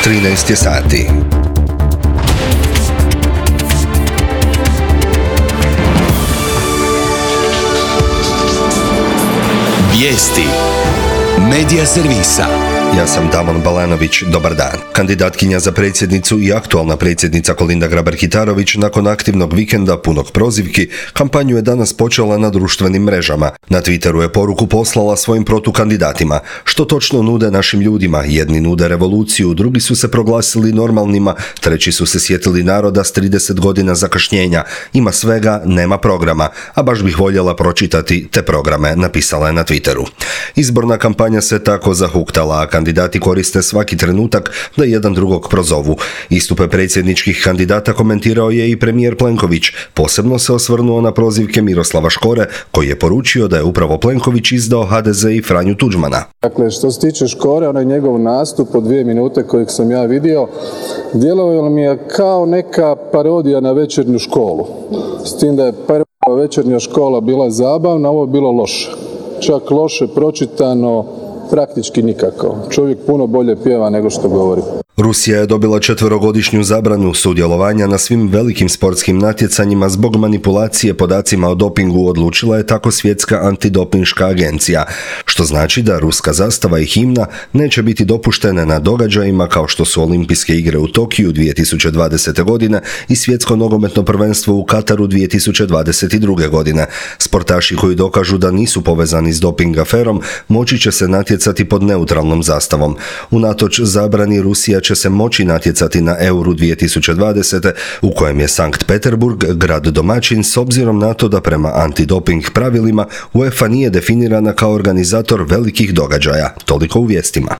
13 je sati. Vijesti Medija servisa. Ja sam Damon Balanović, dobar dan. Kandidatkinja za predsjednicu i aktualna predsjednica Kolinda Grabar-Kitarović nakon aktivnog vikenda punog prozivki, kampanju je danas počela na društvenim mrežama. Na Twitteru je poruku poslala svojim protukandidatima. Što točno nude našim ljudima? Jedni nude revoluciju, drugi su se proglasili normalnima, treći su se sjetili naroda s 30 godina zakašnjenja. Ima svega, nema programa, a baš bih voljela pročitati te programe, napisala je na Twitteru. Izborna kampanja se tako zahuktala, a kandidati koriste svaki trenutak da jedan drugog prozovu. Istupe predsjedničkih kandidata komentirao je i premijer Plenković. Posebno se osvrnuo na prozivke Miroslava Škore, koji je poručio da je upravo Plenković izdao HDZ i Franju Tuđmana. Dakle, što se tiče Škore, onaj njegov nastup od 2 minute kojeg sam ja vidio, djelovalo mi je kao neka parodija na Večernju školu. S tim da je prva Večernja škola bila zabavna, ovo je bilo loše. Čak loše pročitano, praktički nikako. Čovjek puno bolje pjeva nego što govori. Rusija je dobila 4-godišnju zabranu sudjelovanja na svim velikim sportskim natjecanjima zbog manipulacije podacima o dopingu, odlučila je tako Svjetska antidopinška agencija, što znači da ruska zastava i himna neće biti dopuštene na događajima kao što su Olimpijske igre u Tokiju 2020. godine i Svjetsko nogometno prvenstvo u Kataru 2022. godine. Sportaši koji dokažu da nisu povezani s doping aferom moći će se natjecati pod neutralnom zastavom. Unatoč zabrani, Rusija će se moći natjecati na Euru 2020. u kojem je Sankt Peterburg grad domaćin s obzirom na to da prema antidoping pravilima UEFA nije definirana kao organizator velikih događaja. Toliko u vijestima.